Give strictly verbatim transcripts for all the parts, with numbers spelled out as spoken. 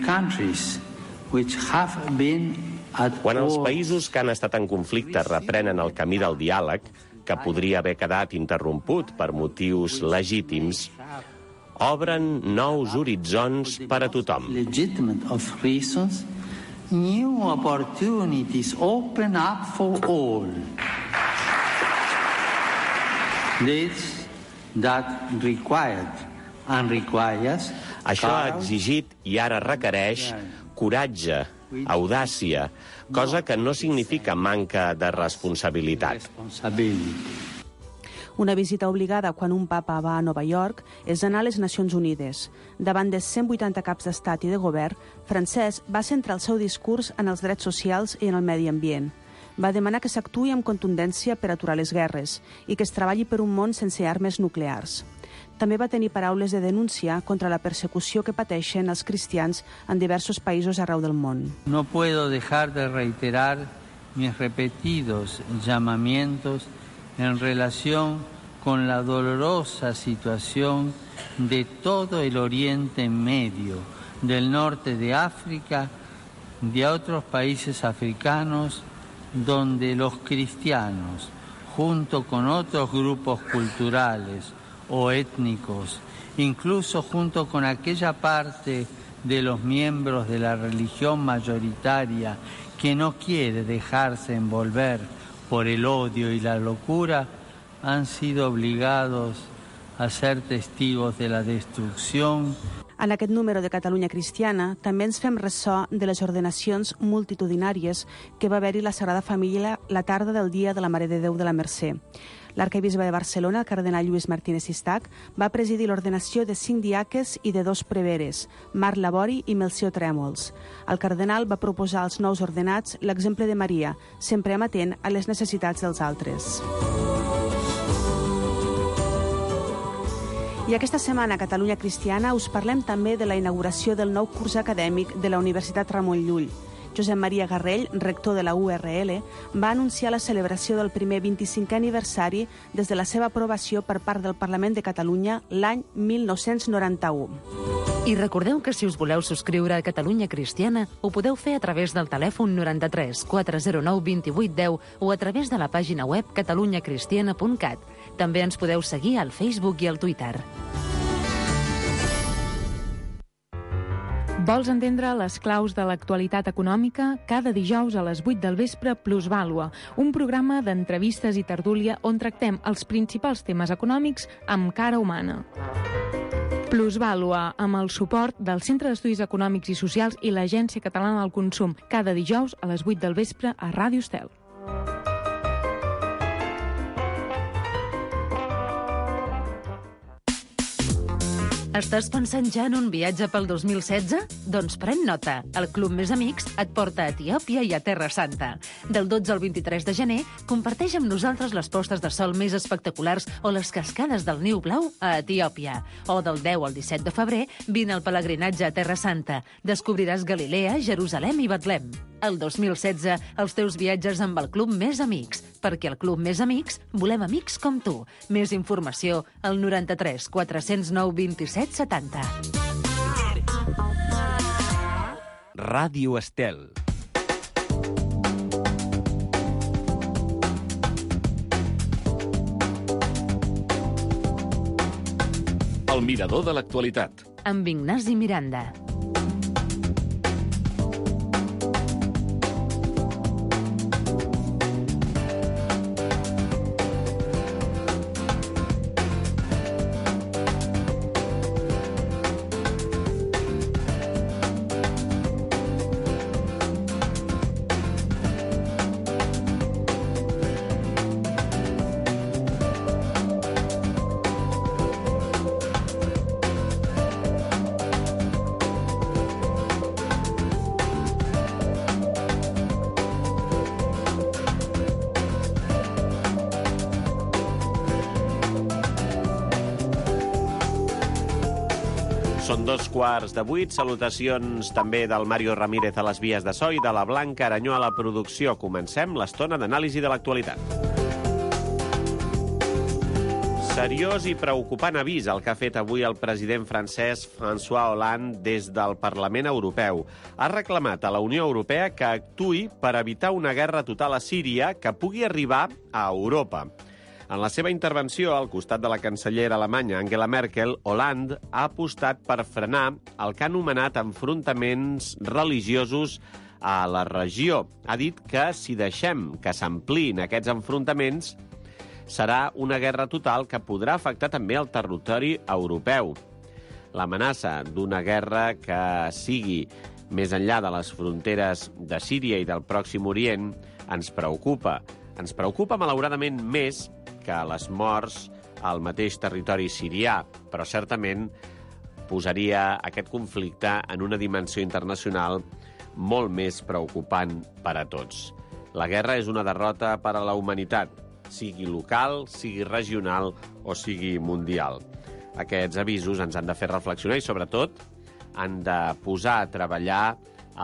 countries which have been at Quan els war, països que han estat en conflicte reprenen el camí del diàleg, que podria haver quedat interromput per motius legítims, obren nous horitzons per a tothom. legitimate of reasons, new opportunities open up for all. This that required and requires Això ha exigit i ara requereix coratge, audàcia, cosa que no significa manca de responsabilitat. Una visita obligada quan un papa va a Nova York és anar a les Nacions Unides. Davant de cent vuitanta caps d'estat i de govern, Francesc va centrar el seu discurs en els drets socials i en el medi ambient. Va demanar que s'actuï amb contundència per aturar les guerres i que es treballi per un món sense armes nuclears. També va tenir paraules de denúncia contra la persecució que pateixen els cristians en diversos països arreu del món. No puedo dejar de reiterar mis repetidos llamamientos en relación con la dolorosa situación de todo el Oriente Medio, del norte de África, de otros países africanos, donde los cristianos, junto con otros grupos culturales o étnicos, incluso junto con aquella parte de los miembros de la religión mayoritaria que no quiere dejarse envolver por el odio y la locura, han sido obligados a ser testigos de la destrucción. En aquest número de Catalunya Cristiana també ens fem ressò de les ordenacions multitudinàries que va haver-hi la Sagrada Família la tarda del dia de la Mare de Déu de la Mercè. L'arquebisbe de Barcelona, el cardenal Lluís Martínez Sistac, va presidir l'ordenació de cinc diaques i de dos preveres, Marc Labori i Melcior Trèmols. El cardenal va proposar als nous ordenats l'exemple de Maria, sempre amatent a les necessitats dels altres. I aquesta setmana a Catalunya Cristiana us parlem també de la inauguració del nou curs acadèmic de la Universitat Ramon Llull. Josep Maria Garrell, rector de la U R L, va anunciar la celebració del primer vint-i-cinquè aniversari des de la seva aprovació per part del Parlament de Catalunya l'any mil nou-cents noranta-u. I recordeu que si us voleu subscriure a Catalunya Cristiana ho podeu fer a través del telèfon noranta-tres quatre zero nou vint vuit deu o a través de la pàgina web catalunya cristiana punt cat. També ens podeu seguir al Facebook i al Twitter. Vols entendre les claus de l'actualitat econòmica? Cada dijous a les vuit del vespre, Plusvàlua, un programa d'entrevistes i tertúlia on tractem els principals temes econòmics amb cara humana. Plusvàlua, amb el suport del Centre d'Estudis Econòmics i Socials i l'Agència Catalana del Consum, cada dijous a les vuit del vespre a Ràdio Estel. Estàs pensant ja en un viatge pel dos mil setze? Doncs pren nota. El Club Més Amics et porta a Etiòpia i a Terra Santa. Del dotze al vint-i-tres de gener, comparteix amb nosaltres les postes de sol més espectaculars o les cascades del Niu Blau a Etiòpia. O del deu al disset de febrer, vine al pelegrinatge a Terra Santa. Descobriràs Galilea, Jerusalem i Betlem. El dos mil setze, els teus viatges amb el Club Més Amics, perquè al Club Més Amics volem amics com tu. Més informació al noranta-tres quatre zero nou vint-i-set setanta. Ràdio Estel. El mirador de l'actualitat. Amb Ignasi Miranda. Són dos quarts de vuit. Salutacions també del Mario Ramírez a les vies de so i de la Blanca Aranyó a la producció. Comencem l'estona d'anàlisi de l'actualitat. Seriós i preocupant avís el que ha fet avui el president francès François Hollande des del Parlament Europeu. Ha reclamat a la Unió Europea que actuï per evitar una guerra total a Síria que pugui arribar a Europa. En la seva intervenció, al costat de la cancellera alemanya Angela Merkel, Hollande ha apostat per frenar el que ha anomenat enfrontaments religiosos a la regió. Ha dit que si deixem que s'ampliïn aquests enfrontaments, serà una guerra total que podrà afectar també el territori europeu. L'amenaça d'una guerra que sigui més enllà de les fronteres de Síria i del Pròxim Orient ens preocupa. Ens preocupa, malauradament, més que les morts al mateix territori sirià, però certament posaria aquest conflicte en una dimensió internacional molt més preocupant per a tots. La guerra és una derrota per a la humanitat, sigui local, sigui regional o sigui mundial. Aquests avisos ens han de fer reflexionar i, sobretot, han de posar a treballar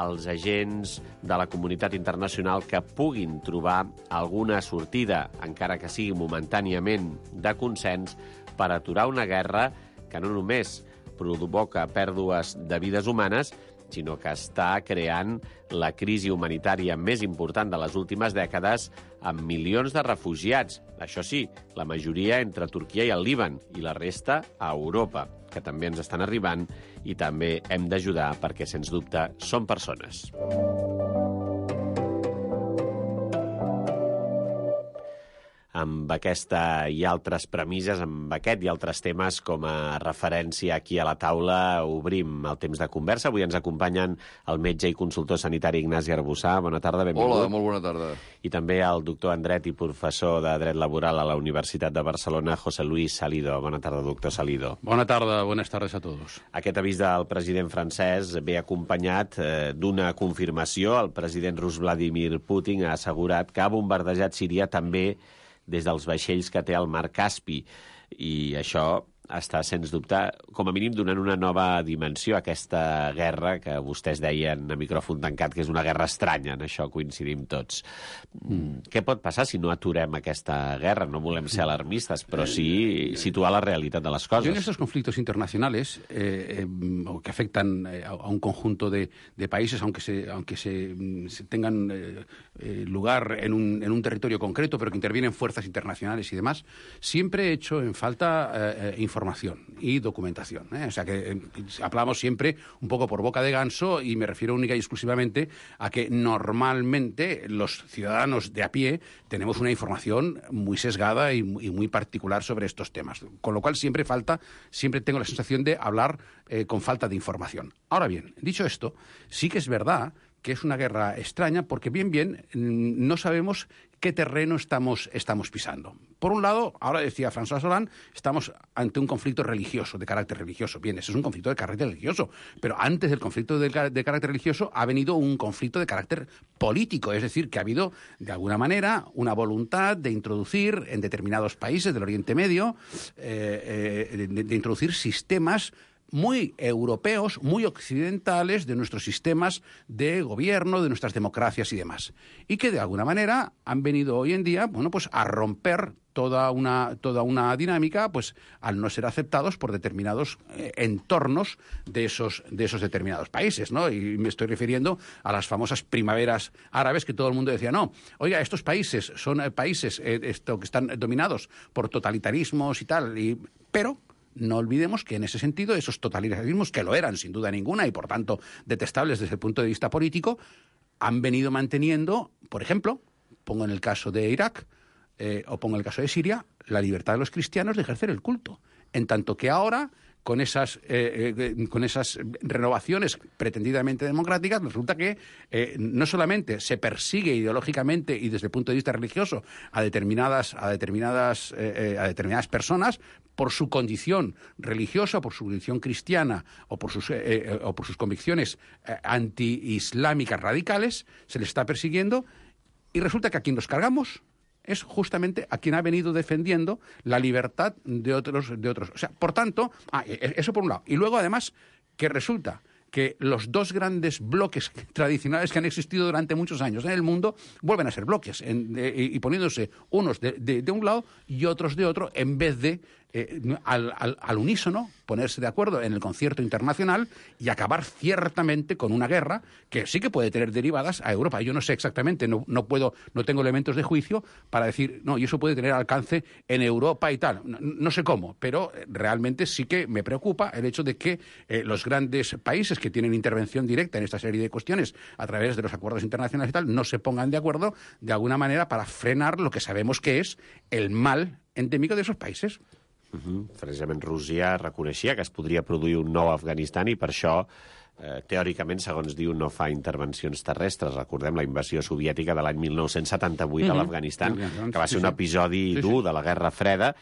els agents de la comunitat internacional que puguin trobar alguna sortida, encara que sigui momentàniament, de consens per aturar una guerra que no només provoca pèrdues de vides humanes, sinó que està creant la crisi humanitària més important de les últimes dècades amb milions de refugiats. Això sí, la majoria entre Turquia i el Líban i la resta a Europa, que també ens estan arribant i també hem d'ajudar perquè, sens dubte, són persones. Amb aquesta i altres premisses, amb aquest i altres temes com a referència aquí a la taula, obrim el temps de conversa. Avui ens acompanyen el metge i consultor sanitari Ignasi Arbussà. Bona tarda, benvingut. Hola, molt bona tarda. I també el doctor en Dret i professor de Dret Laboral a la Universitat de Barcelona, José Luis Salido. Bona tarda, doctor Salido. Bona tarda, buenas tardes a todos. Aquest avís del president francès ve acompanyat eh, d'una confirmació. El president rus Vladimir Putin ha assegurat que ha bombardejat Síria també des dels vaixells que té al mar Caspi. I això està, sens dubte, com a mínim donant una nova dimensió a aquesta guerra que vostès deien a micròfon tancat que és una guerra estranya. En això coincidim tots. Mm. Què pot passar si no aturem aquesta guerra? No volem ser alarmistes, però sí situar la realitat de les coses. Yo en estos conflictos internacionales eh, eh, que afectan eh, a un conjunto de, de países, aunque se, aunque se, se tengan eh, eh, lugar en un, en un territorio concreto, pero que intervienen fuerzas internacionales y demás, siempre he hecho en falta eh, información y documentación, ¿eh? O sea que eh, hablamos siempre un poco por boca de ganso y me refiero única y exclusivamente a que normalmente los ciudadanos de a pie tenemos una información muy sesgada y, y muy particular sobre estos temas, con lo cual siempre falta, siempre tengo la sensación de hablar eh, con falta de información. Ahora bien, dicho esto, sí que es verdad que es una guerra extraña porque bien bien no sabemos qué terreno estamos, estamos pisando. Por un lado, ahora decía François Hollande, estamos ante un conflicto religioso, de carácter religioso. Bien, ese es un conflicto de carácter religioso, pero antes del conflicto de, de carácter religioso ha venido un conflicto de carácter político, es decir, que ha habido, de alguna manera, una voluntad de introducir en determinados países del Oriente Medio, eh, eh, de, de introducir sistemas muy europeos, muy occidentales de nuestros sistemas de gobierno, de nuestras democracias y demás. Y que de alguna manera han venido hoy en día, bueno, pues a romper toda una, toda una dinámica, pues al no ser aceptados por determinados eh, entornos de esos, de esos determinados países, ¿no? Y me estoy refiriendo a las famosas primaveras árabes que todo el mundo decía, no, oiga, estos países son eh, países eh, esto, que están dominados por totalitarismos y tal, y, pero no olvidemos que en ese sentido esos totalitarismos, que lo eran sin duda ninguna y por tanto detestables desde el punto de vista político, han venido manteniendo, por ejemplo, pongo en el caso de Irak eh, o pongo en el caso de Siria, la libertad de los cristianos de ejercer el culto. En tanto que ahora, con esas, eh, eh, con esas renovaciones pretendidamente democráticas, resulta que eh, no solamente se persigue ideológicamente y desde el punto de vista religioso a determinadas, a determinadas, eh, a determinadas personas por su condición religiosa, por su condición cristiana o por sus, eh, o por sus convicciones eh, anti-islámicas radicales, se les está persiguiendo y resulta que a quien los cargamos es justamente a quien ha venido defendiendo la libertad de otros, de otros. O sea, por tanto, ah, eso por un lado. Y luego, además, que resulta que los dos grandes bloques tradicionales que han existido durante muchos años en el mundo vuelven a ser bloques en, de, y poniéndose unos de, de, de un lado y otros de otro en vez de eh, al, al, al unísono, ponerse de acuerdo en el concierto internacional y acabar ciertamente con una guerra que sí que puede tener derivadas a Europa. Yo no sé exactamente, no, no puedo, no tengo elementos de juicio para decir, no, y eso puede tener alcance en Europa y tal. No, no sé cómo, pero realmente sí que me preocupa el hecho de que eh, los grandes países que tienen intervención directa en esta serie de cuestiones a través de los acuerdos internacionales y tal, no se pongan de acuerdo de alguna manera para frenar lo que sabemos que es el mal endèmico d'aquests països. Uh-huh. Precisament Rússia reconeixia que es podria produir un nou Afganistan i per això, eh, teòricament, segons diu, no fa intervencions terrestres. Recordem la invasió soviètica de l'any mil nou-cents setanta-vuit uh-huh. a l'Afganistan, que va ser un episodi sí, sí. dur de la Guerra Freda,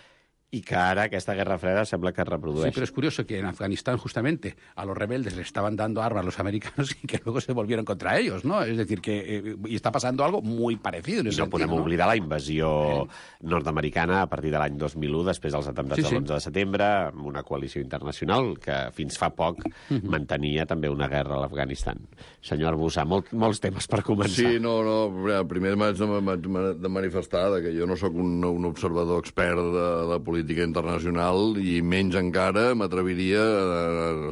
y que ara aquesta guerra freda sembla que es reprodueix. Sí, pero es curioso que en Afganistán justamente a los rebeldes les estaban dando armas a los americanos y que luego se volvieron contra ellos, ¿no? Es decir, que eh, y está pasando algo muy parecido en ese I no sentido, podem ¿no? oblidar la invasió eh. nord-americana a partir de l'any dos mil u, després dels atemptats sí, sí. de l'onze de setembre, amb una coalició internacional que fins fa poc uh-huh. mantenia també una guerra a l'Afganistan. Senyor Arbussà, molt, molts temes per començar. Sí, no, no, primer m'haig de, de manifestar que jo no sóc un, un observador expert de la política internacional i menys encara m'atreviria a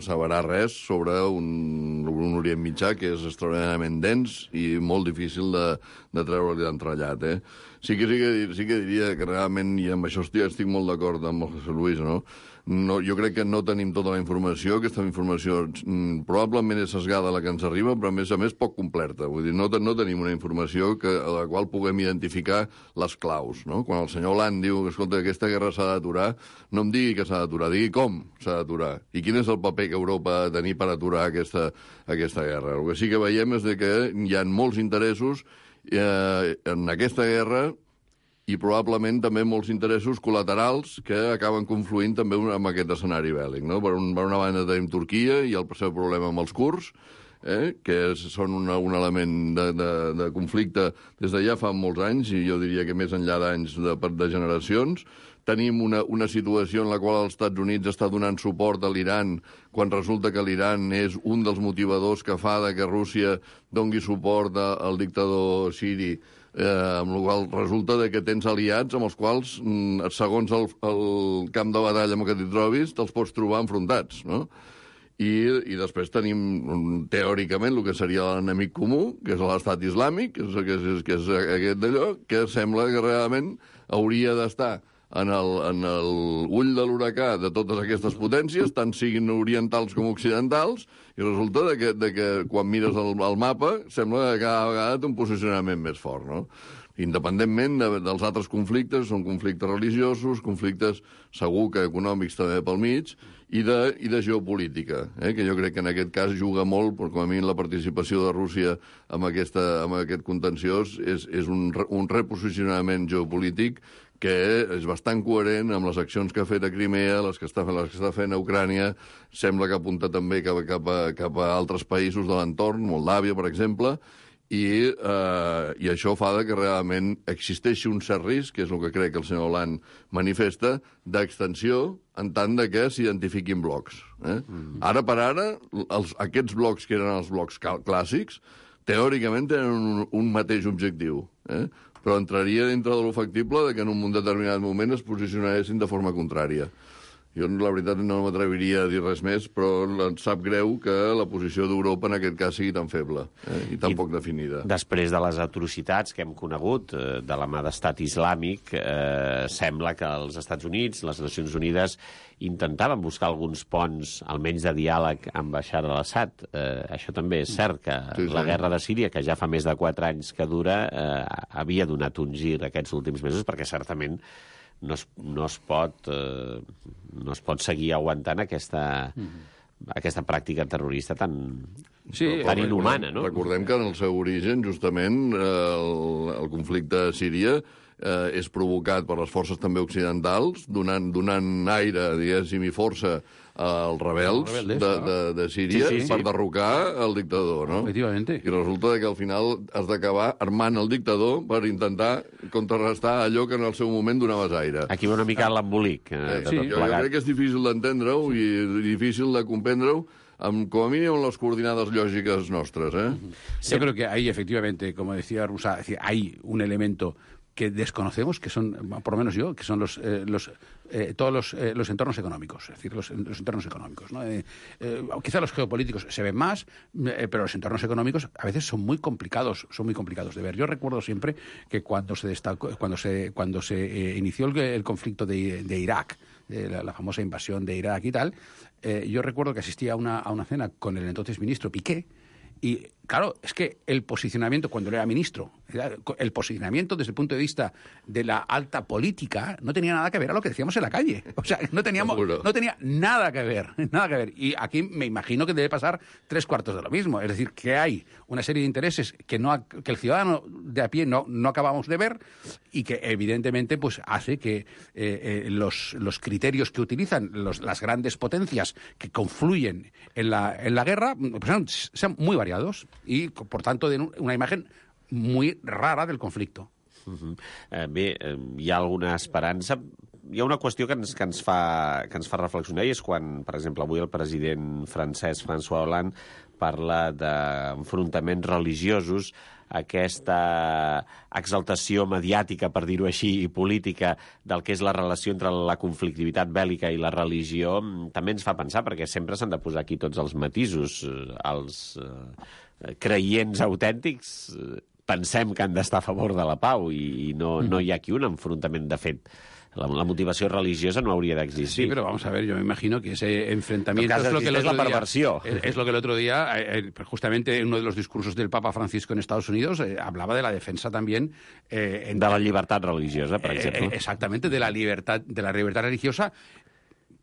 asseverar res sobre un, un Orient Mitjà que és extraordinàriament dens i molt difícil de, de treure-li d'entrellat. Eh? Sí, que, sí, que, sí que diria que realment, i amb això estic, estic molt d'acord amb el José Luis, no? No, jo crec que no tenim tota la informació, aquesta informació mm, probablement és sesgada la que ens arriba, però a més a més poc completa. Vull dir, no, no tenim una informació que, a la qual puguem identificar les claus. No? Quan el senyor Hollande diu que escolta, aquesta guerra s'ha d'aturar, no em digui que s'ha d'aturar, digui com s'ha d'aturar. I quin és el paper que Europa ha de tenir per aturar aquesta, aquesta guerra. El que sí que veiem és que hi ha molts interessos eh, en aquesta guerra i probablement també molts interessos col·laterals que acaben confluint també amb aquest escenari bèl·lic. No? Per, un, per una banda tenim Turquia i el seu problema amb els kurds, eh? que és, són una, un element de, de, de conflicte des de ja fa molts anys, i jo diria que més enllà d'anys de, de generacions. Tenim una, una situació en la qual els Estats Units està donant suport a l'Iran quan resulta que l'Iran és un dels motivadors que fa de que Rússia dongui suport a, al dictador siri, eh, amb la qual resulta de que tens aliats amb els quals, segons el, el camp de batalla en què t'hi trobis, te'ls pots trobar enfrontats, no? I, i després tenim, teòricament, el que seria l'enemic comú, que és l'estat islàmic, que és, que és, que és aquest d'allò, que sembla que realment hauria d'estar en el, en el ull de l'huracà de totes aquestes potències, tant siguin orientals com occidentals, i resulta de que, de que quan mires el, el mapa sembla que cada vegada té un posicionament més fort, no? Independentment de, dels altres conflictes, són conflictes religiosos, conflictes segur que econòmics també pel mig, i de, i de geopolítica, eh? que jo crec que en aquest cas juga molt, perquè com a mi la participació de Rússia en, aquesta, en aquest contenciós és, és un, un reposicionament geopolític que és bastant coherent amb les accions que ha fet a Crimea, les que està, les que està fent a Ucrània, sembla que apunta també cap, cap, a, cap a altres països de l'entorn, Moldàvia, per exemple, i, eh, i això fa que realment existeixi un cert risc, que és el que crec que el senyor Hollande manifesta, d'extensió en tant de que s'identifiquin blocs. Eh? Mm. Ara per ara, els, aquests blocs que eren els blocs clàssics, teòricament tenen un, un mateix objectiu, eh? però entraria dintre de lo factible de que en un determinat moment es posicionessin de forma contrària. Jo, la veritat, no m'atreviria a dir res més, però em sap greu que la posició d'Europa en aquest cas sigui tan feble eh? i tan I poc definida. Després de les atrocitats que hem conegut eh, de la mà d'estat islàmic, eh, sembla que els Estats Units, les Nacions Unides, intentaven buscar alguns ponts, almenys de diàleg, amb Bashar al-Assad. Eh, això també és cert, que sí, sí. la guerra de Síria, que ja fa més de quatre anys que dura, eh, havia donat un gir aquests últims mesos, perquè certament no es, no es pot eh, no es pot seguir aguantant aquesta, mm-hmm. aquesta pràctica terrorista tan, sí, tan inhumana, no? Recordem que en el seu origen, justament, el, el conflicte a Síria eh, és provocat per les forces també occidentals, donant, donant aire, diguéssim, i força als rebels de, de, de Síria sí, sí, per sí. derrocar el dictador, no? Efectivamente. I resulta que al final has d'acabar armant el dictador per intentar contrarrestar allò que en el seu moment donaves aire. Aquí va una mica l'embolic. Eh, eh, sí, jo, jo crec que és difícil d'entendre-ho i difícil de comprendre-ho, amb, com a mínim, les coordinades lògiques nostres, eh? Sí. Yo creo que ahí, efectivamente, como decía Rusá, hay un elemento que desconocemos, que son, por lo menos yo, que son los, eh, los eh, todos los, eh, los entornos económicos, es decir, los, los entornos económicos, ¿no? Eh, eh, quizá los geopolíticos se ven más, eh, pero los entornos económicos a veces son muy complicados, son muy complicados de ver. Yo recuerdo siempre que cuando se destacó, cuando se cuando se eh, inició el, el conflicto de, de Irak, de la, la famosa invasión de Irak y tal, eh, yo recuerdo que asistía a una, a una cena con el entonces ministro Piqué. Y, claro, es que el posicionamiento, cuando él era ministro, el posicionamiento desde el punto de vista de la alta política no tenía nada que ver a lo que decíamos en la calle. O sea, no, teníamos, no tenía nada que ver, nada que ver. Y aquí me imagino que debe pasar tres cuartos de lo mismo. Es decir, que hay una serie de intereses que, no, que el ciudadano de a pie no, no acabamos de ver y que, evidentemente, pues hace que eh, eh, los, los criterios que utilizan los, las grandes potencias que confluyen en la, en la guerra pues sean, sean muy variados i, per tant, de una imagen muy rara del conflicte. Uh-huh. eh, bé, eh, hi ha alguna esperança. Hi ha una qüestió que ens, que, ens fa, que ens fa reflexionar i és quan, per exemple, avui el president francès François Hollande parla d'enfrontaments religiosos, aquesta exaltació mediàtica, per dir-ho així, i política del que és la relació entre la conflictivitat bèl·lica i la religió, també ens fa pensar, perquè sempre s'han de posar aquí tots els matisos. Els eh, creients autèntics eh, pensem que han d'estar a favor de la pau i, i no, no hi ha aquí un enfrontament de fet. La, la motivació religiosa no hauria d'existir. Sí, pero vamos a ver, yo me imagino que ese enfrentamiento es lo que el otro la perversión. Día, es, es lo que el otro día, eh, justamente en uno de los discursos del Papa Francisco en Estados Unidos, eh, hablaba de la defensa también... Eh, en, de la libertad religiosa, por ejemplo. Eh, exactamente, de la libertad, de la libertad religiosa,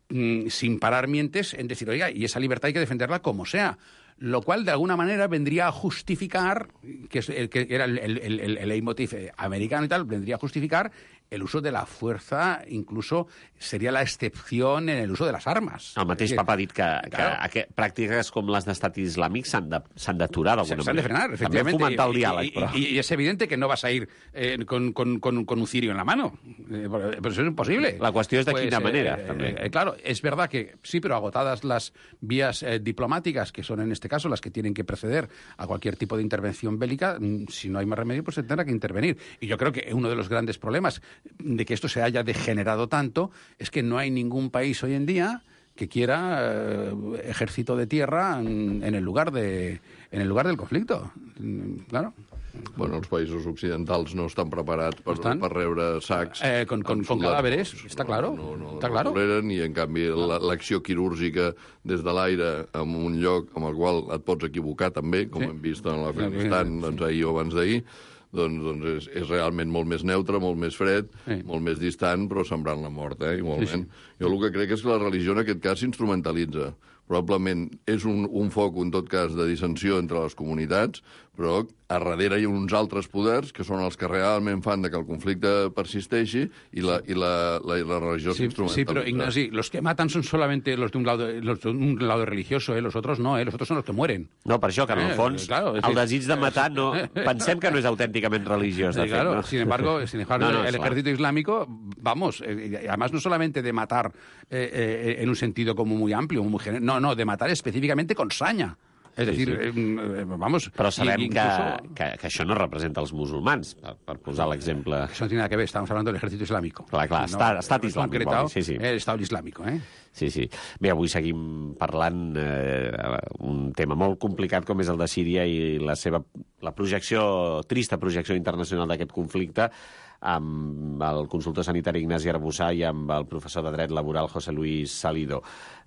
mmm, sin parar mientes en decir, oiga, y esa libertad hay que defenderla como sea. Lo cual, de alguna manera, vendría a justificar, que, es el, que era el, el, el, el leitmotiv americano y tal, vendría a justificar el uso de la fuerza, incluso seria la excepció en el uso de les armes. El mateix Papa ha dit que, que, claro. que pràctiques com les d'estat islàmic s'han d'aturar d'alguna manera. S'han de frenar, efectivamente. També fomentar el diàleg, y, però... Y, y es evidente que no vas a ir eh, con, con, con, con un cirio en la mano. Eh, pero eso es imposible. La qüestió és de pues, quina eh, manera, eh, també. Eh, claro, es verdad que sí, pero agotadas las vías eh, diplomáticas, que son en este caso las que tienen que preceder a cualquier tipo de intervención bélica, si no hay más remedio, pues se tendrá que intervenir. Y yo creo que uno de los grandes problemas de que esto se haya degenerado tanto es que no hay ningún país hoy en día que quiera eh, ejército de tierra en, en el lugar de en el lugar del conflicto. Claro. Bueno, els països occidentals no estan preparats per, estan? per rebre sacs... Eh, con, con, con cadáveres, està claro. No, no, està no claro. toleren, i en canvi l'acció quirúrgica des de l'aire en un lloc amb el qual et pots equivocar també, com sí. hem vist en l'Afganistan sí. doncs, ahir o abans d'ahir, doncs, doncs és, és realment molt més neutre, molt més fred, sí. molt més distant, però sembrant la mort, eh, igualment. Sí, sí. Jo el que crec és que la religió en aquest cas s'instrumentalitza. Probablement és un, un foc, en tot cas, de dissensió entre les comunitats, però a darrere hi ha uns altres poders que són els que realment fan de que el conflicte persisteixi i la, i la, la, la religió sí, s'instrumentalitza. Sí, pero Ignasi, los que matan son solamente los de un lado, los de un lado religioso, ¿eh? Los otros no, ¿eh? Los otros son los que mueren. No, per això, que en el fons, eh, claro, el desig de matar, no, pensem que no és autènticament religiós, de sí, claro, fet. No? Sin embargo, sin embargo no, no, el ejército claro. islámico, vamos, eh, además no solamente de matar eh, eh, en un sentido como muy amplio, muy general, no, no, de matar específicamente con saña. És a dir, sí, sí. Eh, vamos... Però sabem incluso... que, que, que això no representa els musulmans, per, per posar l'exemple... Això no tiene nada que ver, estamos hablando del ejército islámico. Clar, clar, no, estat, estat islàmic. Concretado, sí, sí. El Estado islámico, eh? Sí, sí. Bé, avui seguim parlant eh, un tema molt complicat com és el de Síria i la seva la projecció, trista projecció internacional d'aquest conflicte, amb el consultor sanitari Ignasi Arbussà i amb el professor de dret laboral José Luis Salido.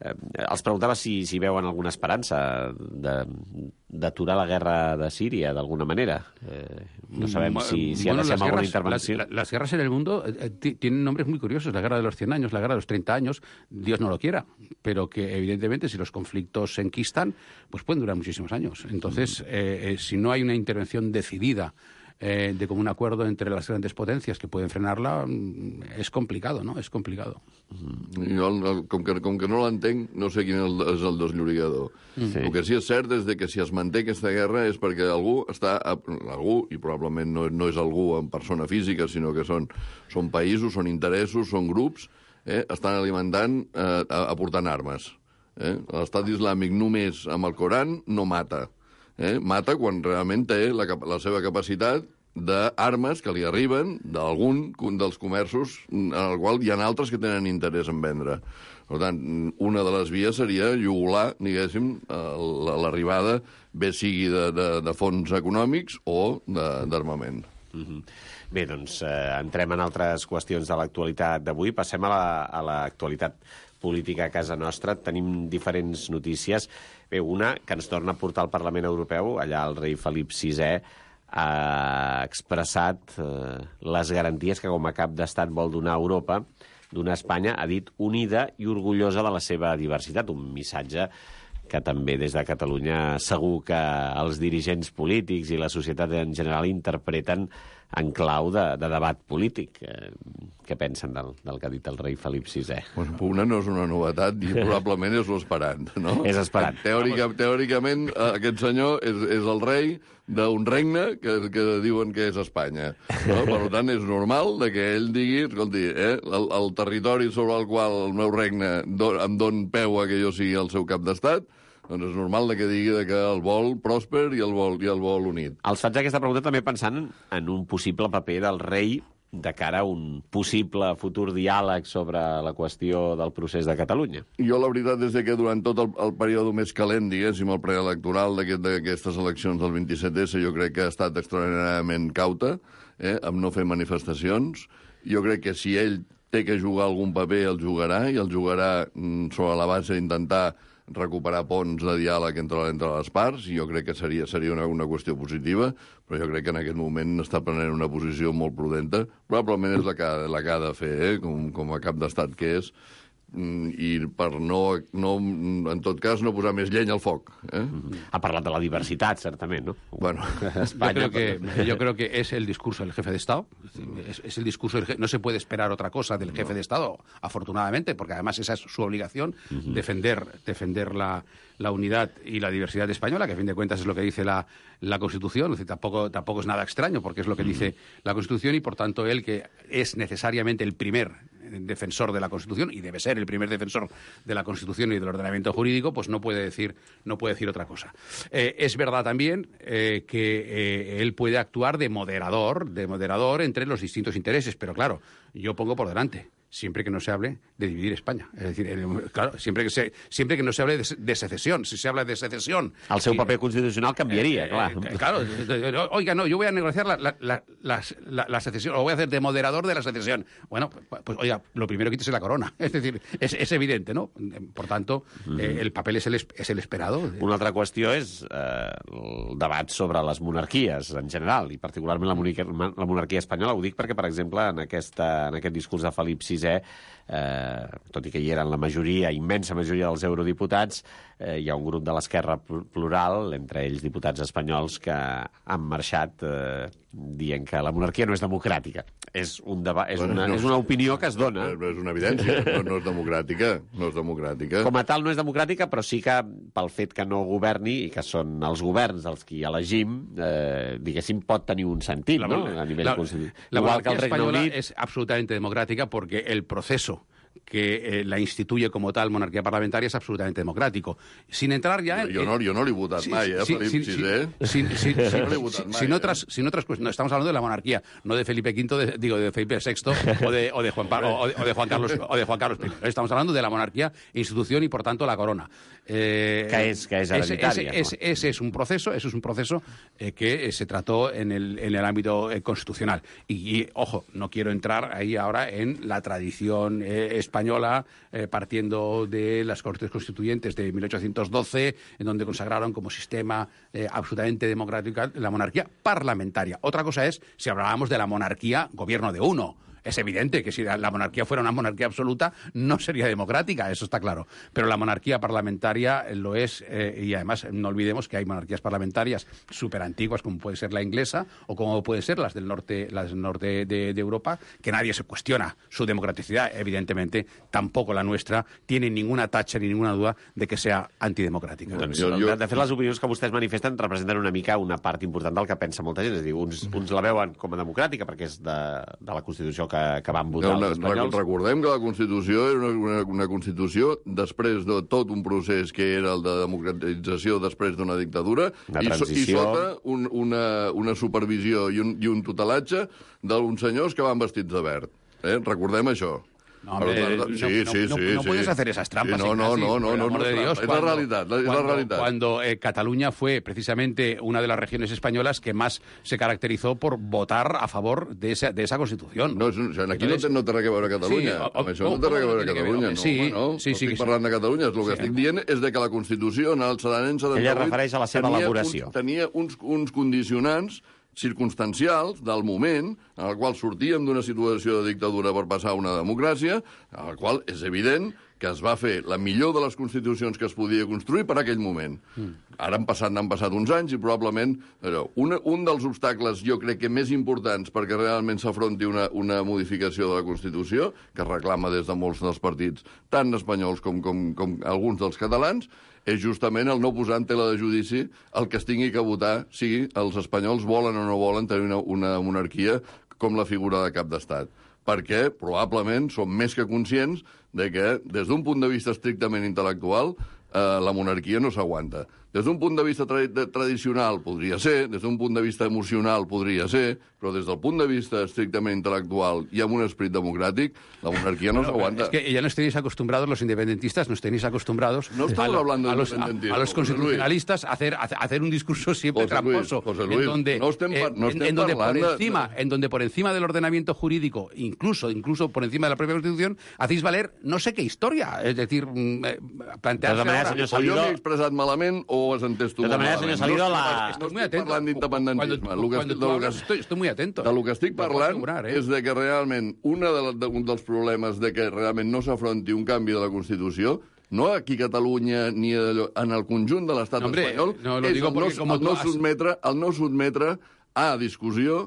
Eh, els preguntava si, si veuen alguna esperança d'aturar la guerra de Síria d'alguna manera. Eh, no sabem si, si bueno, ha de ser alguna guerras, intervenció. Las, las guerras en el mundo eh, tienen nombres muy curiosos. La guerra de los cien años, la guerra de los treinta años, Dios no lo quiera, pero que evidentemente si los conflictos se enquistan, pues pueden durar muchísimos años. Entonces, eh, eh, si no hay una intervención decidida Eh, de común acuerdo entre las grandes potencias que pueden frenarla, és complicado, no? És complicado. Mm. Jo, el, com, que, com que no l'entenc, no sé quin és el, és el desllorigador. Sí. El que sí és cert és de que si es manté aquesta guerra és perquè algú està... Algú, i probablement no, no és algú en persona física, sinó que són, són països, són interessos, són grups, eh, estan alimentant, eh, aportant armes. Eh? L'Estat islàmic només amb el Coran no mata. Eh? Mata quan realment té la, la seva capacitat d'armes que li arriben d'algun dels comerços en el qual hi ha altres que tenen interès en vendre. Per tant, una de les vies seria jugular, diguéssim, l'arribada, bé sigui de, de, de fons econòmics o d'armament. Mm-hmm. Bé, doncs eh, entrem en altres qüestions de l'actualitat d'avui. Passem a l'actualitat política a casa nostra. Tenim diferents notícies. Bé, una que ens torna a portar al Parlament Europeu. Allà el rei Felip sisè ha expressat eh, les garanties que com a cap d'estat vol donar a Europa, donar a Espanya, ha dit, unida i orgullosa de la seva diversitat. Un missatge que també des de Catalunya segur que els dirigents polítics i la societat en general interpreten en clau de, de debat polític. Eh, què pensen del, del que ha dit el rei Felip sisè? Bueno, una no és una novetat i probablement és l'esperant, no? És esperant. Teòrica, teòricament, aquest senyor és, és el rei d'un regne que, que diuen que és Espanya. No? Per tant, és normal de que ell digui, escolti, eh, el, el territori sobre el qual el meu regne do, em don peu a que jo sigui el seu cap d'estat, doncs és normal de que digui de que el vol pròsper i el vol, i el vol unit. Els faig aquesta pregunta també pensant en un possible paper del rei de cara a un possible futur diàleg sobre la qüestió del procés de Catalunya. Jo la veritat és que durant tot el, el període més calent, diguéssim, el preelectoral d'aquestes eleccions del vint-i-set essa, jo crec que ha estat extraordinàriament cauta, eh, amb no fer manifestacions. Jo crec que si ell té que jugar algun paper, el jugarà, i el jugarà mm, sobre la base d'intentar recuperar ponts de diàleg entre, entre les parts, i jo crec que seria, seria una, una qüestió positiva, però jo crec que en aquest moment està prenent una posició molt prudenta. Probablement és la que, la que ha de fer, eh? com, com a cap d'estat que és, i per no, no, en tot cas, no posar més llenya al foc. ¿eh? Ha parlat de la diversitat, certament, ¿no? Bueno, España, yo, creo que, yo creo que es el discurso del jefe de Estado. Es, es el discurso del jefe, no se puede esperar otra cosa del jefe no. de Estado, afortunadamente, porque además esa es su obligación, uh-huh. defender, defender la, la unidad y la diversidad española, que a fin de cuentas es lo que dice la, la Constitución. Es decir, tampoco, tampoco es nada extraño, porque es lo que uh-huh. dice la Constitución, y por tanto él, que es necesariamente el primer defensor de la Constitución, y debe ser el primer defensor de la Constitución y del ordenamiento jurídico, pues no puede decir, no puede decir otra cosa. Eh, es verdad también eh, que eh, él puede actuar de moderador, de moderador entre los distintos intereses, pero claro, yo pongo por delante, siempre que no se hable de dividir España. Es decir, el, claro, siempre que, se, siempre que no se hable de, de secesión. Si se habla de secesión... El seu paper constitucional canviaria, eh, clar. Eh, claro, oiga, no, yo voy a negociar la, la, la, la, la, la secesión, o voy a hacer de moderador de la secesión. Bueno, pues, pues oiga, lo primero quítese la corona. Es decir, es, es evidente, ¿no? Por tanto, mm-hmm. eh, el papel es el, es el esperado. Una altra qüestió és eh, el debat sobre les monarquies en general, i particularment la monarquia, la monarquia espanyola. Ho dic perquè, per exemple, en, aquesta, en aquest discurs de Felip sisè, Eh, tot i que hi eren la majoria, immensa majoria dels eurodiputats, eh, hi ha un grup de l'esquerra plural, entre ells diputats espanyols, que han marxat eh, dient que la monarquia no és democràtica. És, un deba és, bueno, una, no, és una opinió que es dona. És una evidència, no, no és democràtica. No és democràtica. Com a tal no és democràtica, però sí que pel fet que no governi, i que són els governs els qui elegim, eh, diguéssim, pot tenir un sentit, la, ¿no? A nivell la, constitucional. La Igual que el Regne española Unit es absolutamente democrática porque el proceso que eh, la instituye como tal monarquía parlamentaria es absolutamente democrático. Sin entrar ya... Yo, yo, no, yo no le he votat mai, eh, sí, Felip sí, sisè. Sin, sin, no sin, le he votat mai, sin, eh. otras, sin otras cuestiones. No, estamos hablando de la monarquía, no de Felipe quinto, de, digo, de Felipe sexto o de, o de, Juan, o de, o de Juan Carlos o de Juan Carlos primero. Estamos hablando de la monarquía, institución y, por tanto, la corona. Eh, que es, que es hereditaria. Ese, ese, ese, ese es un proceso, ese es un proceso eh, que eh, se trató en el, en el ámbito eh, constitucional. Y, y, ojo, no quiero entrar ahí ahora en la tradición eh, española, eh, partiendo de las Cortes Constituyentes de mil ochocientos doce, en donde consagraron como sistema eh, absolutamente democrático la monarquía parlamentaria. Otra cosa es si hablábamos de la monarquía gobierno de uno. Es evidente que si la monarquía fuera una monarquía absoluta no sería democrática, eso está claro. Pero la monarquía parlamentaria lo es, eh, y además no olvidemos que hay monarquías parlamentarias súper antiguas, como puede ser la inglesa o como puede ser las del norte, las del norte de, de Europa, que nadie se cuestiona su democraticidad. Evidentemente, tampoco la nuestra tiene ninguna tacha ni ninguna duda de que sea antidemocràtica. Doncs, jo, jo... De fet, les opinions que vostès manifesten representen una mica una part important del que pensa molta gent. És a dir, uns, uns la veuen com a democràtica perquè és de, de la Constitució que, que van votar no, els espanyols. Recordem que la Constitució era una, una, una Constitució després de tot un procés que era el de democratització després d'una dictadura i, so, i sota un, una, una supervisió i un, i un tutelatge d'uns senyors que van vestits de verd. Eh? Recordem això. No, hombre, Pero, no, sí, no, sí, no, sí, no sí. puedes hacer esas trampas. Sí, no, no, Ignasi, no, no, por el no, amor no, de Dios. es Cuando, la realidad, es cuando, la realidad. Cuando eh, Cataluña fue precisamente una de las regiones españolas que más se caracterizó por votar a favor de esa, de esa Constitución. No, o sigui, aquí Entonces, no, té, no té res a veure Catalunya. Sí, o, o, això no té res a veure Catalunya. No, sí, no, sí, no sí, estic sí, parlant de Catalunya. El que sí. estic dient és de que la Constitució en el l'any setanta-vuit... Ella refereix a la seva tenia elaboració. Uns, tenia uns, uns condicionants circumstancials del moment en el qual sortíem d'una situació de dictadura per passar a una democràcia, en el qual és evident que es va fer la millor de les constitucions que es podia construir per aquell moment. Mm. Ara han passat, han passat uns anys i probablement allò, una, un dels obstacles, jo crec que més importants perquè realment s'afronti una, una modificació de la Constitució, que es reclama des de molts dels partits, tant espanyols com, com, com alguns dels catalans, és justament el no posar en tela de judici el que es tingui que votar si els espanyols volen o no volen tenir una, una monarquia com la figura de cap d'estat. Perquè probablement som més que conscients de que, des d'un punt de vista estrictament intel·lectual, eh, la monarquia no s'aguanta. Des d'un punt de vista tra de tradicional podria ser, des d'un punt de vista emocional podria ser, però des del punt de vista estrictament intel·lectual i amb un esperit democràtic, la monarquía no bueno, s'aguanta. Es que ya no estáis acostumbrados, los independentistas, no estáis acostumbrados no estamos a, hablando de a, los, a, a los constitucionalistas a hacer, a hacer un discurso siempre José Luis, tramposo, José Luis, en donde, no estem, eh, no estem en, en donde por de... encima, en donde por encima del ordenamiento jurídico, incluso, incluso por encima de la propia Constitución, hacéis valer no sé qué historia. Es decir, eh, plantearse manera, ahora... senyor O jo m'he expressat malament o ho has entès tu de malament. Manera, senyor Salido, la... No estic parlant d'independentisme. Cuando, cuando tú hablas, estoy, estoy muy atento. De lo que estic parlant asegurar, eh? és de que realment una de, de, un dels problemes de que realment no s'afronti un canvi de la Constitució, no aquí a Catalunya ni a, en el conjunt de l'estat no, hombre, espanyol, no, lo és digo el, no, como el, no sotmetre, el no sotmetre a discussió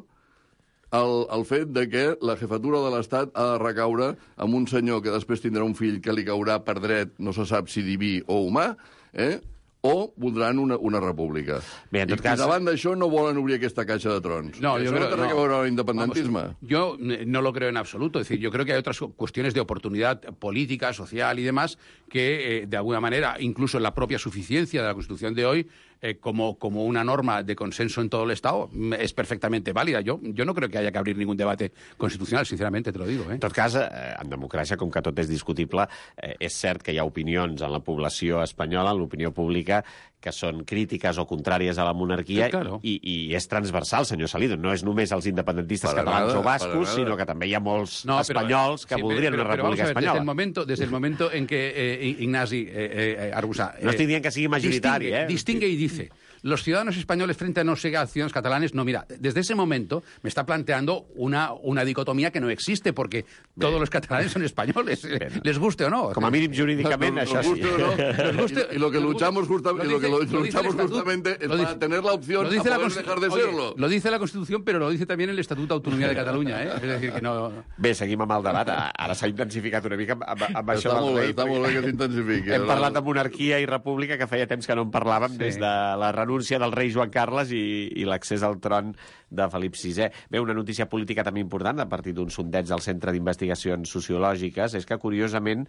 el, el fet de que la jefatura de l'Estat ha de recaure amb un senyor que després tindrà un fill que li caurà per dret, no se sap si diví o humà, eh? o voldran una, una república. Bé, en tot I, cas... I davant d'això no volen obrir aquesta caixa de trons. No, Eso yo no creo, té res no. a veure amb l'independentisme. Vamos, yo no lo creo en absoluto. Es decir, yo creo que hay otras cuestiones de oportunidad política, social y demás que, eh, de alguna manera, incluso en la propia suficiencia de la Constitución de hoy, eh, como, como una norma de consenso en todo el Estado, es perfectamente válida. Yo, yo no creo que haya que abrir ningún debate constitucional, sinceramente, te lo digo. Eh? En tot cas, eh, en democràcia, com que tot és discutible, eh, és cert que hi ha opinions en la població espanyola, en l'opinió pública, que són crítiques o contràries a la monarquia, sí, claro. i, i és transversal, senyor Salido. No és només els independentistes para catalans nada, o bascos, sinó que també hi ha molts no, espanyols pero, que sí, voldrien pero, una pero, república pero espanyola. Desde el momento, desde el momento en que eh, Ignasi eh, eh, Arbusa... Eh, no estic dient que sigui majoritari, distingue, eh? Distingue y dice... Los ciudadanos españoles frente a no sé a ciudadanos catalanes, no, mira, desde ese momento me está planteando una, una dicotomía que no existe, porque Bé. todos los catalanes son españoles, Bé. les guste o no. Com a mínim jurídicament, no, això sí. sí. No, guste, y, y lo que luchamos, justa, lo, y lo que lo, lo luchamos justamente es dice, para tener la opción de poder dejar de oye, serlo. Lo dice la Constitución, pero lo dice también el Estatuto de Autonomía de Cataluña, ¿eh? Es decir, que no... Bé, seguim amb el debat. Ara s'ha intensificat una mica amb, amb, amb això està del molt rei. Bé, està molt bé que s'intensifiqui. Hem parlat de monarquia i república, que feia temps que no en parlàvem, sí. des de la renúncia del rei Joan Carles i, i l'accés al tron de Felip sisè. Bé, una notícia política també important, a partir d'un sondeig del Centre d'Investigacions Sociològiques, és que, curiosament,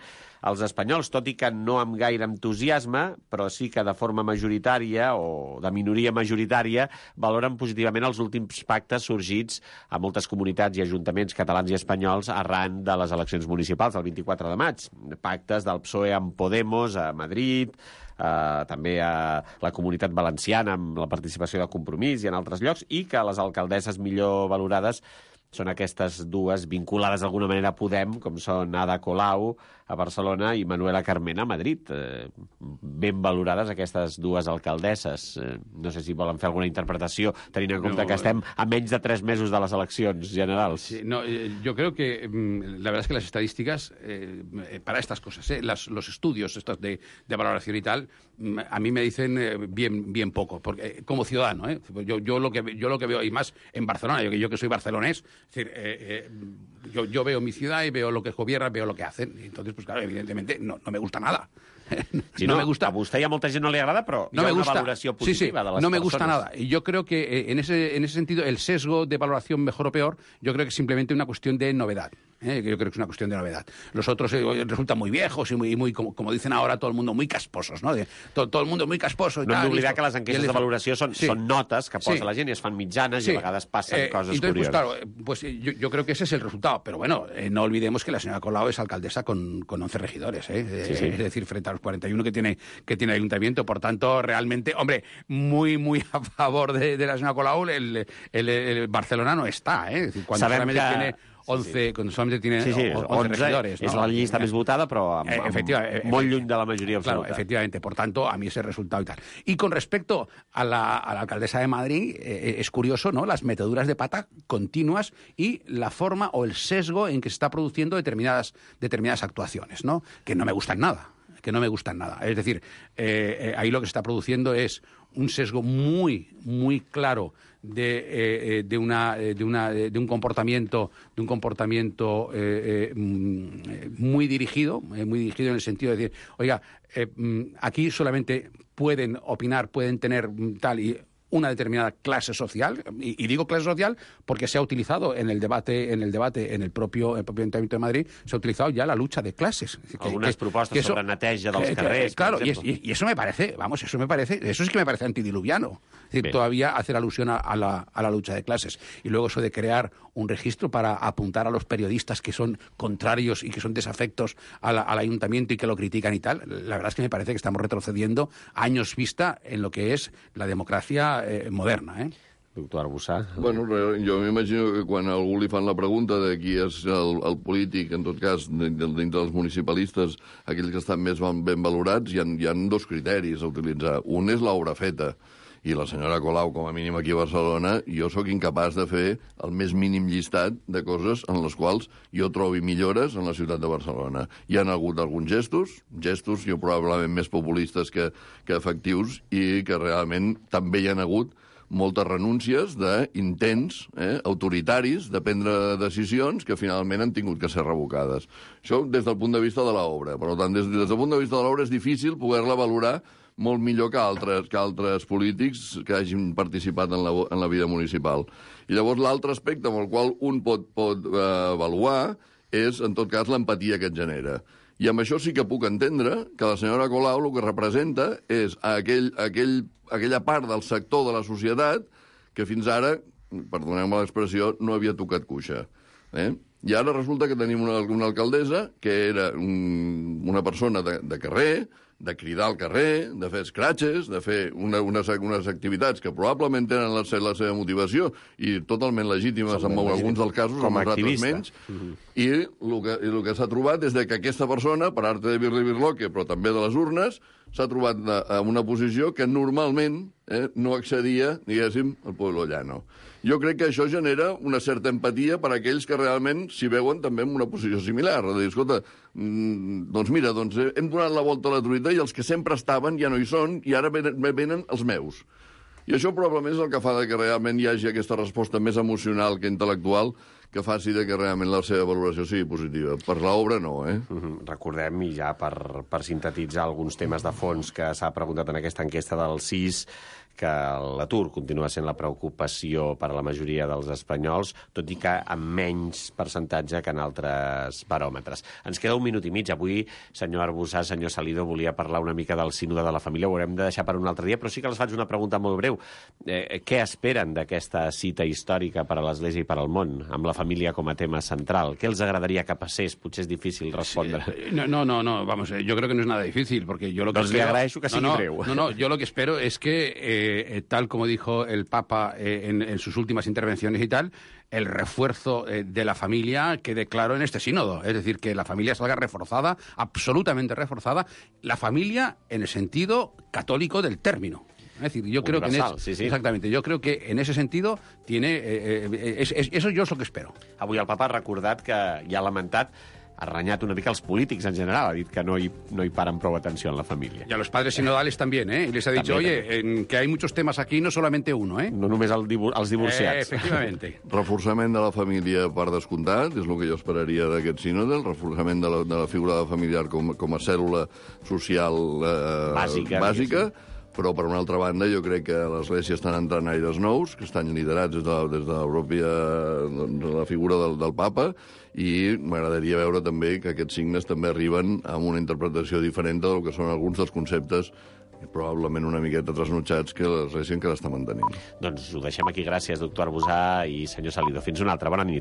els espanyols, tot i que no amb gaire entusiasme, però sí que de forma majoritària o de minoria majoritària, valoren positivament els últims pactes sorgits a moltes comunitats i ajuntaments catalans i espanyols arran de les eleccions municipals del vint-i-quatre de maig. Pactes del P S O E amb Podemos a Madrid, Uh, també a la Comunitat Valenciana amb la participació de Compromís i en altres llocs, i que les alcaldesses millor valorades són aquestes dues vinculades d'alguna manera a Podem, com són Ada Colau a Barcelona i Manuela Carmena a Madrid. Eh, ben valorades aquestes dues alcaldesses. Eh, no sé si volen fer alguna interpretació, tenint en compte no, que estem a menys de tres mesos de les eleccions generals. Sí, no, eh, yo creo que mm, la verdad es que las estadísticas eh, para estas cosas, eh, las, los estudios estos de, de valoración y tal, mm, a mí me dicen eh, bien, bien poco, porque eh, como ciudadano, eh, yo, yo, lo que, yo lo que veo, y más en Barcelona, yo, yo que soy barcelonés, es decir, eh, eh, yo, yo veo mi ciudad y veo lo que gobierna, veo lo que hacen, y entonces pues claro, evidentemente no, no me gusta nada. Sí, no, no me gusta. A vostè i a molta gent no li agrada, però no hi ha una gusta. Valoració positiva sí, sí, de les no me persones. Gusta nada. Y yo creo que en ese, en ese sentido el sesgo de valoración mejor o peor, yo creo que es simplemente una cuestión de novedad. ¿eh? Yo creo que es una cuestión de novedad. Los otros eh, resultan muy viejos y muy, muy como, como dicen ahora todo el mundo, muy casposos, ¿no? De, todo, todo el mundo muy casposo. Y no tal, hem d'oblidar que les enquestes de valoració són, sí. són notes que posa sí. la gent i es fan mitjanes sí. i a vegades passen eh, coses entonces, curioses. Pues claro, pues yo, yo creo que ese es el resultado. Pero bueno, eh, no olvidemos que la señora Colau es alcaldesa con, con once regidores, ¿eh? Sí, sí. Es decir, frente a los cuarenta y uno que tiene, que tiene el ayuntamiento. Por tanto, realmente, hombre, muy, muy a favor de, de la señora Colau, el, el, el, el Barcelona no está, ¿eh? Es decir, cuando Sabem solamente que... tiene once, sí, sí. Cuando solamente tiene sí, sí, once regidores, ¿no? És la llista més votada, però amb, amb molt lluny de la majoria absoluta. Claro, efectivamente. Por tanto, a mí ese resultado y tal. Y con respecto a la, a la alcaldesa de Madrid, eh, es curioso, ¿no? Las meteduras de pata continuas y la forma o el sesgo en que se está produciendo determinadas, determinadas actuaciones, ¿no? Que no me gustan nada. que no me gustan nada. Es decir, eh, eh, ahí lo que se está produciendo es un sesgo muy, muy claro de, eh, de, una, de, una, de un comportamiento, de un comportamiento eh, eh, muy dirigido, eh, muy dirigido en el sentido de decir, oiga, eh, aquí solamente pueden opinar, pueden tener tal y una determinada clase social, y, y digo clase social porque se ha utilizado en el debate, en el debate, en el propio, el propio Ayuntamiento de Madrid, se ha utilizado ya la lucha de clases. Que, Algunas que, propuestas que eso, sobre neteja dels que, carrers, que, claro, por y, y, y eso me parece, vamos, eso me parece, eso sí que me parece antidiluviano. Es decir, todavía hacer alusión a, a, la, a la lucha de clases. Y luego eso de crear un registro para apuntar a los periodistas que son contrarios y que son desafectos a la, al ayuntamiento y que lo critican y tal, la verdad es que me parece que estamos retrocediendo años vista en lo que es la democracia eh, moderna, eh? Doctor Arbussà. Bueno, jo m'imagino que quan a algú li fan la pregunta de qui és el, el polític, en tot cas, dintre dels municipalistes, aquells que estan més ben valorats, hi ha, hi ha dos criteris a utilitzar. Un és l'obra feta, i la senyora Colau, com a mínim aquí a Barcelona, jo sóc incapaç de fer el més mínim llistat de coses en les quals jo trobi millores en la ciutat de Barcelona. Hi han hagut alguns gestos, gestos jo probablement més populistes que, que efectius, i que realment també hi han hagut moltes renúncies d'intents eh, autoritaris de prendre decisions que finalment han tingut que ser revocades. Això des del punt de vista de l'obra. Per tant, des, des del punt de vista de l'obra és difícil poder-la valorar molt millor que altres, que altres polítics que hagin participat en la, en la vida municipal. I llavors l'altre aspecte amb el qual un pot, pot eh, avaluar és, en tot cas, l'empatia que et genera. I amb això sí que puc entendre que la senyora Colau el que representa és aquell, aquell, aquella part del sector de la societat que fins ara, perdoneu-me l'expressió, no havia tocat cuixa. Eh? I ara resulta que tenim una, una alcaldessa que era un, una persona de, de carrer, de cridar al carrer, de fer escratxes, de fer una, unes, unes activitats que probablement tenen la, la seva motivació i totalment legítimes en alguns dels casos, com en els altres menys, mm-hmm. i el que, el que s'ha trobat és que aquesta persona, per arte de birli-birloque, però també de les urnes, s'ha trobat en una posició que normalment eh, no accedia, diguéssim, al pueblo llano. Jo crec que això genera una certa empatia per a aquells que realment s'hi veuen també en una posició similar. De dir, escolta, mm, doncs mira, doncs hem donat la volta a la truita i els que sempre estaven ja no hi són i ara venen, venen els meus. I això probablement és el que fa que realment hi hagi aquesta resposta més emocional que intel·lectual que faci de que realment la seva valoració sigui positiva. Per l'obra no, eh? Uh-huh. Recordem, i ja per, per sintetitzar alguns temes de fons que s'ha preguntat en aquesta enquesta del C I S, que l'atur continua sent la preocupació per a la majoria dels espanyols, tot i que amb menys percentatge que en altres baròmetres. Ens queda un minut i mig. Avui, senyor Arbussà, senyor Salido, volia parlar una mica del sínode de la família, ho haurem de deixar per un altre dia, però sí que els faig una pregunta molt breu. Eh, què esperen d'aquesta cita històrica per a l'Església i per al món, amb la família com a tema central? Què els agradaria que passés? Potser és difícil respondre. Sí, no, no, no, no, vamos, yo creo que no es nada difícil, porque yo lo que doncs espero... li agraeixo que sigui no, no, breu. No, no, yo lo que espero es que... Eh, Eh, tal como dijo el Papa eh, en, en sus últimas intervenciones y tal, el refuerzo eh, de la familia quede claro en este sínodo. Es decir, que la familia salga reforzada, absolutamente reforzada, la familia en el sentido católico del término. Es decir, yo creo que en eso, sí, sí. exactamente, yo creo que en ese sentido tiene eh, eh, es, es, eso yo es lo que espero. Avui el Papa ha recordat que ja ha lamentat ha renyat una mica els polítics en general, ha dit que no hi, no hi paren prou atenció en la família. Y a los padres sinodales también, ¿eh? Y les ha dicho, También, oye, en, que hay muchos temas aquí, no solamente uno, ¿eh? No només el divu els Eh, divorciats. efectivamente. Reforçament de la família per descomptat, és el que jo esperaria d'aquest sínode, el reforçament de la, de la figura familiar com, com a cèl·lula social eh, Bàsica, bàsica però, per una altra banda, jo crec que a l'Església estan entrant aires nous, que estan liderats des de, des de la pròpia de la figura del, del papa, i m'agradaria veure també que aquests signes també arriben amb una interpretació diferent del que són alguns dels conceptes probablement una miqueta trasnotxats que l'Església encara està mantenint. Doncs ho deixem aquí. Gràcies, doctor Arbusà i senyor Salido. Fins una altra. Bona nit.